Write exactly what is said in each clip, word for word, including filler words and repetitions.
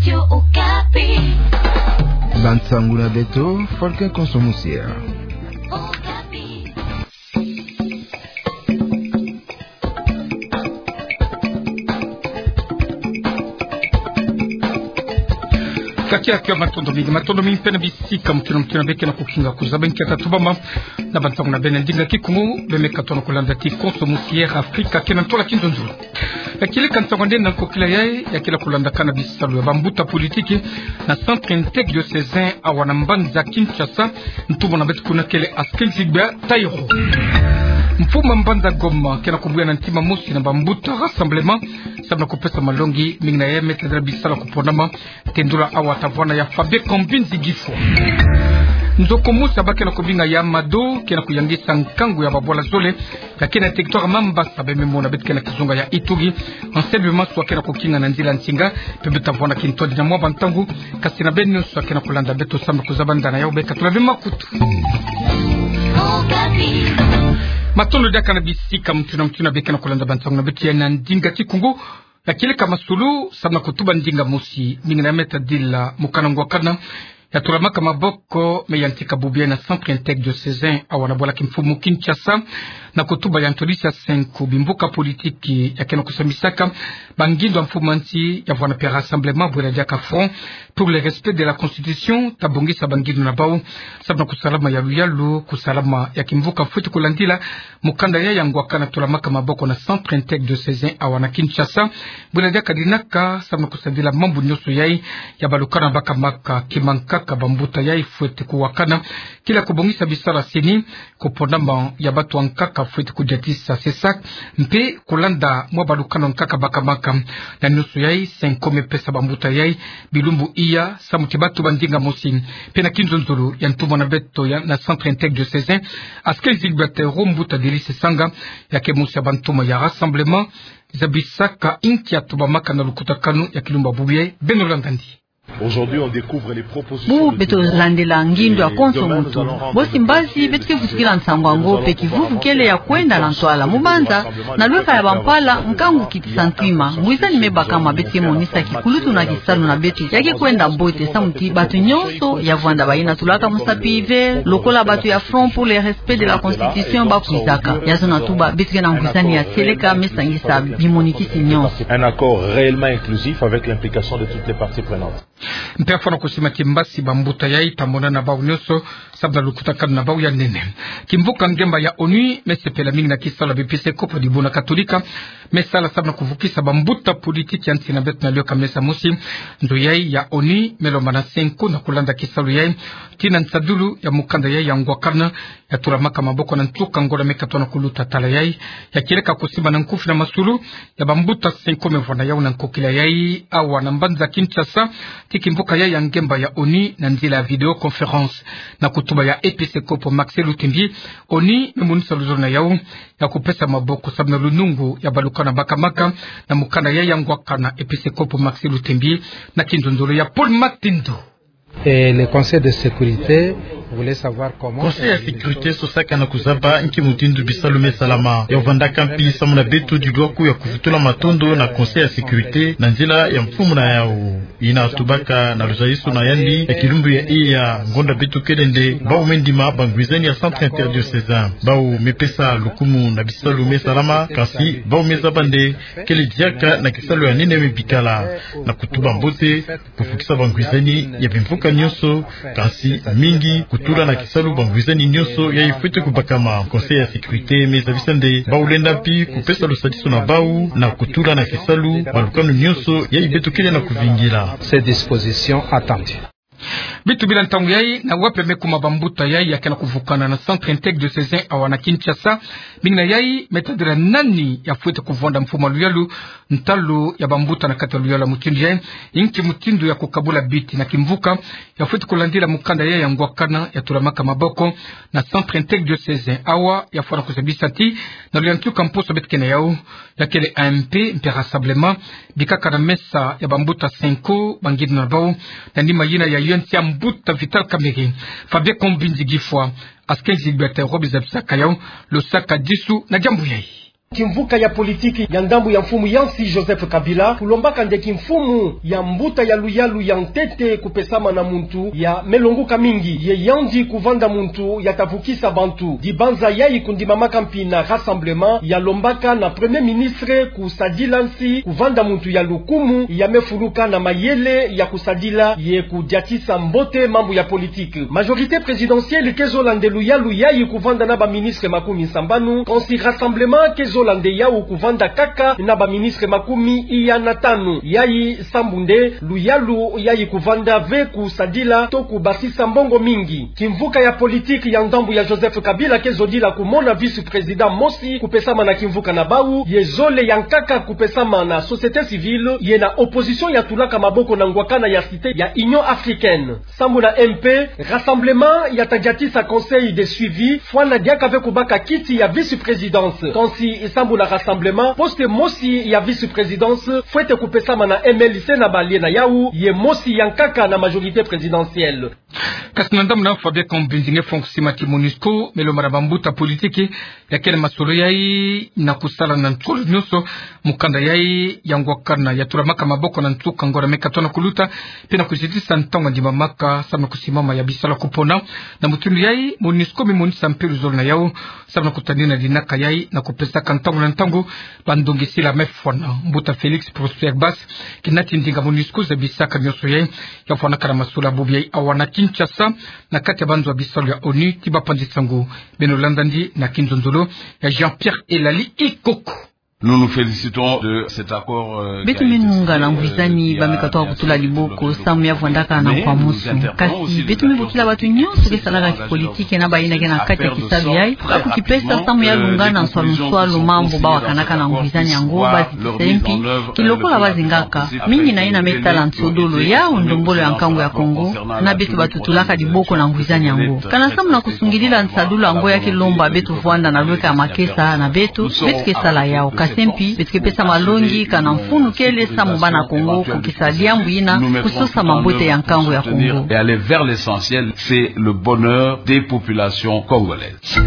Radio Okapi. Bansangu na beto, Falcon Konso Musier. Okapi. Kati ya kiwa matondo mingi, matondo mingi mpe na bisika mutuna mutuna beke na kukinga kuzaba nkia tatubama na bansangu na beno na ndinga Kikongo, beno me katono kulanda ti Konso Musier Afrika ke na ntola kinzonzolo. Ya kieleka nsangu nde na nkokila yayi, ya kele kulandakana bisalu ya bambuta politiki na centre interdiocésain awa na mbanza Kinshasa, ntumwa na beto kuna kele Askelzig Bateiro. Mfumu a mbanza Goma ke na kubuya na ntima mosi na bambuta Rassemblement, samu na kupesa malongi mingi na yayi me tadila bisalu ya kuponama, tendula awa tavwanda ya Fabien Kambinzi Gifwa. Nzoko mosi ya ba ke na kubinga ya Mado ke na kuyangisa nkangu ya babwala zole ya ke na territoire Mambasa, beno me mona beto ke na kizunga ya Ituri. Enseignement ke na kukinga na nzila nsinga, mpe beto tavwanda kintwadi na mwa bantangu, kasi na beno nyonso ya ke na kulanda beto samu na kuzaba ndana yawu, beno katula beno makutu. Matondo diaka na bisika mutuna mutuna beke na kulanda bansangu na beto ya na ndinga Kikongo. Ya kieleka masolo, samu na kutuba ndinga mosi, mingi na yayi me tadila mokana ngwakana ya tulamaka maboko me yantika bubu yayi na centre interdiocésain awa na bwala kimfumu Kinshasa, na kutuba ya ntwadisi ya cinq bimbuka politiki ya ke na kusambisaka bangindu ya mfumu a nsi, ya vwanda mpe Rassemblement bwela diaka Front pour le respect de la Constitution, ta bongisa bangindu na bawu samu na kusalama ya luyalu, kusalama ya kimvuka fweti kulandila mokanda yayi ya ngwakana tulamaka maboko na centre interdiocésain awa na Kinshasa. Bwela diaka dinaka samu na kusadila mambu nyonso yayi ya balukana bakamaka, kima nkaka bambuta yayi fweti kuwakana, kila kubongisa bisalu ya CENI, kuponama ya batu ya nkaka fweti kudiatisa, c'est ça, mpe kulanda mwa balukana nkaka bakamaka. Na nyonso yayi, cinq me pesa bambuta yayi bilumbu iya samu ti batuba ndinga mosi. Mpe na kinzonzolo ya ntumwa na beto ya na centre interdiocésain, Askelzig Bateiro, mbuta Delice Sanga, ya ke mosi ya bantumwa ya Rassemblement, zabisaka nkia tubamaka na lukutakanu ya kilumbu ya bubu yayi. Beno landa ndi. Aujourd'hui, on découvre les propositions. Bubu beto landila ngindu ya Konso Mutu. Bosi mbazi beto ke vutukila nsangu yango, mpe kivuvu kele ya kwenda na ntwala. Mu mbanza, na lweka ya bampala, nkangu kitisa ntima. Ngwizani me bakama, beto ke monisa kikulutu na kisalu na beto ya ke kwenda mbote, samu ti batu nyonso ya vwanda bayina tulaka musapi ve, lokola batu ya Front pour le respect de la Constitution bakwizaka. Ya zona tuba, beto ke na ngwizani ya seleka me sangisa bimonikisi nyonso. Un accord réellement inclusif avec l'implication de toutes les parties prenantes. Mpe ya fwana kusima ti mbasi bambuta yayi ta mona na bawu nyonso, samu na lukutakanu na bawu ya nene. Kimvuka ngemba ya ONU me sepela mingi na kisalu ya biepiskopo dibuna Katolika me sala samu na kuvukisa bambuta politiki ya nsi na beto na lweka mesa mosi. Nzo yayi ya ONU me lomba na cinq na kulanda kisalu yayi, tii na nsadulu ya mokanda yayi ya ngwakana ya tulamaka maboko na nsuka ngonda me katono kuluta tala yayi. Ya kieleka kusimba na nkufi na masulu ya bambuta cinq me vwanda yawu na nkokila yayi awa na mbanza Kinshasa, tii kimvuka yayi ya ngemba ya ONU na nzila ya vidéoconférence. Na kutuba ya episkopo Max Luttembi, ONU me monisa luzolo na yawu ya kupesa maboko samu na lunungu ya balukana bakamaka na mokanda yayi ya ngwakana. Episkopo Max Luttembi na kinzonzolo ya Paul Matindo. Et le Conseil de sécurité voulait savoir comment. Conseil ya sécurité sosaka na kuzaba nki mutindu bisalu me salama. Ya vwandaka mpi samu na beto dilwaku ya kuvutula matondo na Conseil ya sécurité na nzila ya mfumu na yawu. Yina tubaka na luzalisu na yandi ya kilumbu ya iya, ngonda beto kele nde, bawu me ndima bangwizani ya centre interdiocésain. Bawu me pesa lukumu na bisalu me salama, kasi bawu me zaba nde kele diaka na kisalu ya nene me bikala. Na kutuba mbote, kufukisa bangwizani ya bimvuka nyonso, kasi mingi kutula na kisalu bangwizani nyonso yayi fwete kubakama. Conseil ya sécurité me zabisa nde bawu lenda mpi kupesa lusadisu na bawu na kutula na kisalu balukanu nyonso yayi beto kele na kuvingila. Ces dispositions attendues. Beto bila ntangu yayi, na wapi me kuma bambuta yayi ya ke na kuvukana na centre interdiocésain awa na Kinshasa? Mingi na yayi me tadila nani ya fwete kuvwanda mfumu a luyalu ntalu ya bambuta na kati ya luyalu ya mutindu yayi? Nki mutindu ya kukabula biti na kimvuka ya fwete kulandila mukanda yayi ya ngwakana ya tulamaka maboko na centre interdiocésain awa? Ya fwana kuzabisa ti na luyantika mposo beto ke na yawu, ya kele A M P mpe Rassemblement, bikaka na mesa ya bambuta cinq, bangindu na bawu, na nima yina ya yonsi ya mbuta Vital Kamerhe. Fabien Kambinzi Gifwa, Askenzi Gilbert Robi zabisaka yawu, losaka disu na diambu yayi. Kimvuka ya politiki ya ndambu ya mfumu ya nsi Joseph Kabila kulombaka nde kimfumu ya mbuta ya luyalu ya ntete kupesama na muntu ya me longuka mingi. Ye yandi kuvanda muntu ya ta vukisa bantu. Dibanza yayi kundimamaka mpi na Rassemblement, ya lombaka na Premier Ministre kusadila nsi kuvanda muntu ya lukumu ya me fuluka na mayele ya kusadila ye kudiatisa mbote mambu ya politiki. Majorité présidentielle ke zola nde luyalu yayi kuvanda na ba ministre makumi sambanu, kansi Rassemblement ke zola nde yawu kuvanda kaka na ba ministre makumi iya na tanu. Yayi sambu nde luyalu yayi kuvanda ve kusadila to kubasisa mbongo mingi. Kimvuka ya politiki ya ndambu ya Joseph Kabila ke zodila kumona vice-président mosi kupesama na kimvuka na bawu, ye zole ya nkaka kupesama na société civile, ye na opposition ya tulaka maboko na ngwakana ya Cité ya Union Africaine. Sambu na M P, Rassemblement ya ta diatisa conseil de suivi, fwana diaka ve kubaka kiti ya vice-présidence. Kansi sambu na Rassemblement, poste mosi ya vice-présidence fwete kupesama na M L C na balie na yawu, ye mosi ya nkaka na majorité présidentielle. Kasi na ndambu na Fabien Kambinzi, nge fong sima ti MONUSCO me lomba na bambuta politiki ya kele masolo yayi na kusala na ntolo nyonso mukanda yayi ya ngwakana ya tulamaka maboko na nsuka ngora me katona kuluta, mpe na kuzitisa ntangu ya ndimamaka samu na kusimama ya bisalu ya kupona. Na mutindu yayi, MONUSCO me monisa mpe luzolo na yawu samu na kutanina dinaka yayi na kupesaka ntangu na ntangu bandongisila me fwana. Mbuta Félix Prosper Bass, kina ti ndinga MONUSCO zabisaka nyonso yayi, ya fwanaka na masolo ya bubu yayi awa na Kinshasa, na kati ya banzo ya bisalu ya ONU, ti bapanzi sango. Beno landa ndi na kinzonzolo ya Jean-Pierre Elali Ikoko. Nous nous félicitons de cet accord, euh, qui a été signé, euh, il y a quelques jours. Beto me nunga na ngwizani ba me katoka kutula diboko samu ya vwandaka na nkwa mosi. Kasi beto me bokila bato nyonso ke salaka kipolitiki na bayina ke na kati ya kisalu yayi, ka kukipesa samu ya lungana nswalu nswalu mambu ba wakanaka na ngwizani yango, ba zitisa mpi kilokola ba zingaka. Mingi na yina me tala nsodolo ya ndombolo ya nkangu ya Kongo, na beto bato tulaka diboko na ngwizani yango. Kana samu na kusungidila nsadulu yango ya ke lomba beto vwanda na lweka ya makesa na beto, beto ke sala yawu. Kasi mpi, beto ke pesa malongi, kana mfunu kele samu bana Kongo kukisa diambu yina, kusosa mambote ya nkangu ya Kongo. Et aller vers l'essentiel, c'est le bonheur des populations congolaises.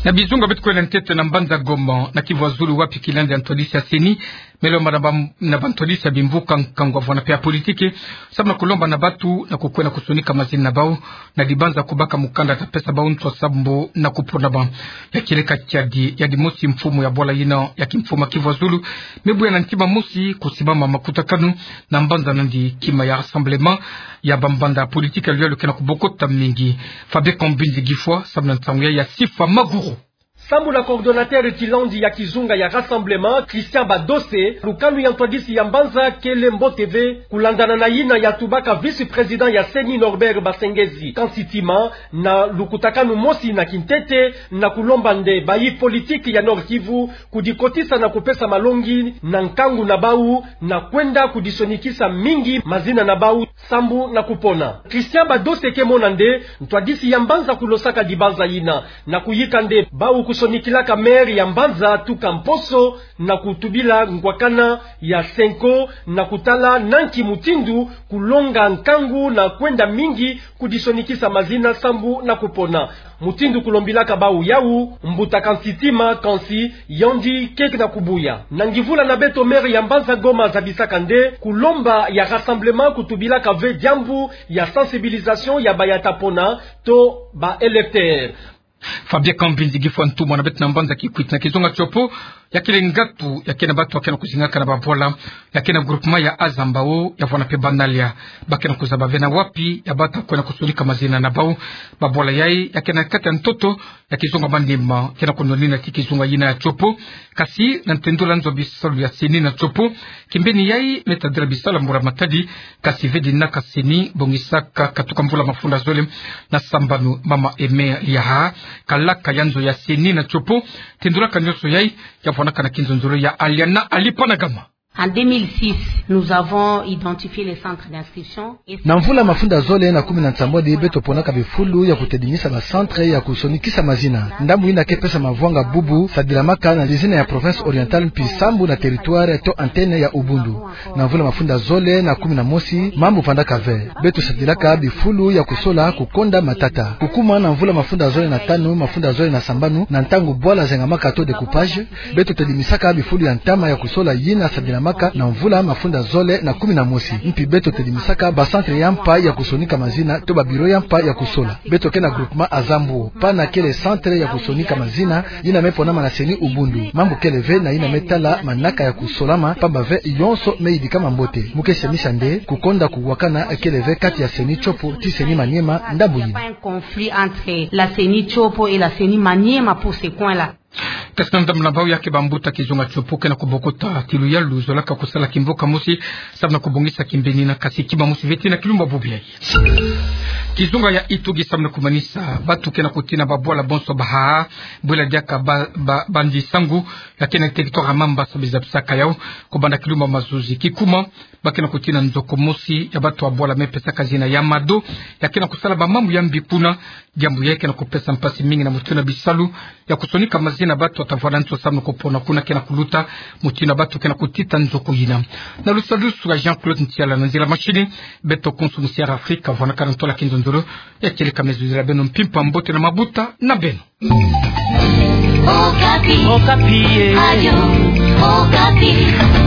Na bizunga beto kwenda ntete na mbanza Goma, na Kivu ya Zulu, wapi kilanzi ya ntwadisi ya CENI me lomba na ba, na bantwadisi ya bimvuka, nkangu ya vwanda mpe ya politiki, samu na kulomba na bato na kukwenda kusonika mazina na bawu na dibanza kubaka mukanda ta pesa bawu nswa samu na kupona bawu. Ya kieleka kiadi, ya dimosi mfumu ya bwala yina ya kimfumu ya Kivu ya Zulu me buya na ntima mosi kusimama makutakanu na mbanza nandi, kima ya Rassemblement, ya bambanza ya politiki ya luyalu ke na kubokota mingi. Fabien Kambinzi Gifwa, samu na nsangu ya, ya Sifa Maguru. Sambu na coordonnateur kilanzi ya kizunga ya Rassemblement, Christian Badose, lukanu ya ntwadisi ya mbanza kele mbote ve, kulandana na yina ya tubaka vice-président ya CENI Norbert Basengezi. Kansi tima na lukutakanu mosi na kintete, na kulomba nde bayi politiki ya Nord-Kivu kudikotisa na kupesa malongi na nkangu na bawu, na kwenda kudisonikisa mingi mazina na bawu samu na kupona. Christian Badose ke mona nde ntwadisi ya mbanza kulosaka dibanza yina, na kuyika nde bawu kusonikilaka maire ya mbanza tuka mposo na kutubila ngwakana ya CENCO, na kutala na nki mutindu kulonga nkangu na kwenda mingi kudisonikisa mazina samu na kupona. Mutindu kulombilaka bawu yawu, mbuta Kansitima, kansi yandi ke na kubuya. Na ngivula na beto, maire ya mbanza Goma zabisaka nde kulomba ya Rassemblement kutubilaka ve diambu ya sensibilisation ya baya ta pona to ba électeurs. Fabien Kambinzi Gifwa, ntumwa na beto na mbanza Kikwit. Na kizunga Tshopo, ya kele ngatu ya ke na bato ya ke na kuzingaka na babwala ya ke na groupement ya Azambao, ya vwanda mpe Banalia. Ba ke na kuzaba ve na wapi ya bata kwenda kusonika mazina na bawu. Babwala yayi ya ke na kati ya ntoto ya kizunga Maniema, ke na kunwanina ti kizunga yina ya Tshopo. Kasi na ntendula nzo ya bisalu ya CENI na Tshopo, kimbeni yayi me tadila bisalu ya mbula matadi, kasi ve dinaka CENI bongisaka katuka mvula mafunda zole na sambanu. Mama Aimée Liaha, kalaka ya nzo ya CENI na Tshopo, tendulaka nyonso yayi, ya vwandaka na kinzonzolo ya Aliana Alipanagama. En deux mille six, nous avons identifié les centres d'inscription. Na mvula mafunda zole na kumi na nsambwadi, beto ponaka bifulu ya kutedimisa ba centre ya kusonikisa mazina. Ndambu yina ke pesa mavwanga bubu, sadilamaka na lizina ya province orientale mpi sambu na territoire to antenne ya Ubundu. Na mvula mafunda zole na kumi na mosi, mambu vandaka ve. Beto sadilaka bifulu ya kusola kukonda matata. Kukuma na mvula mafunda zole na tanu, mafunda zole na sambanu, na ntangu bwala zengamaka taux de coupage, beto tedimisaka bifulu ya ntama ya kusola yina sadilamaka na mvula mafunda zole na kumi na mosi. Mpi beto tedimisaka ba centre ya mpa ya kusonika mazina to ba bureau ya mpa ya kusola. Beto ke na groupement Azambuo, pana kele centre ya kusonika mazina, yina me ponama na CENI Ubundu. Mambu kele ve na yina me tala manaka ya kusolama, pamba ve yonso me yidikama mbote. Mu ke semisa nde, kukonda kuwakana kele ve kati ya CENI Tshopo ti CENI Maniema, ndambu yina. Il n'y a pas un conflit entre la CENI Tshopo et la CENI Maniema pour ce coin-là. Kasi na ndambu na bau ya ke bambuta kizunga Tshopo ke na kubokota ti luyalu zolaka kusala kimboka mosi, samu na kubongisa kimbeni na kasi kima mosi ve ti na kilumbu bubu yayi. Kizunga ya Itogi samu na kumanisa batu ke na kutina babwala bonso baha, bwela diaka ba, ba, Bandi Sangu, ya ke na territoire ya Mambasa, biza bisaka yau, kubanda kilumbu mazuzi. Kikuma, ba ke na kutina nzoko mosi ya batu ya bwala me pesaka zina ya Mado, ya ke na kusala bamambu ya mbi kuna, diambu yayi ke na kupesa mpasi mingi na mutindu na bisalu ya kusonika mazina batu ya tavwala nso samu na kupona kuna ke na kuluta, mutindu na batu ke na kutita nzoko yina. Na lusadusu ya Jean-Claude Ntiala na nzila machine, beto konso musi ya Afrika, vwanaka na ntola kinzonzolo, ya kieleka me zuzila beno mpimpa mbote na mabuta na beno. Okapi. Okapi, eh. Radio Okapi.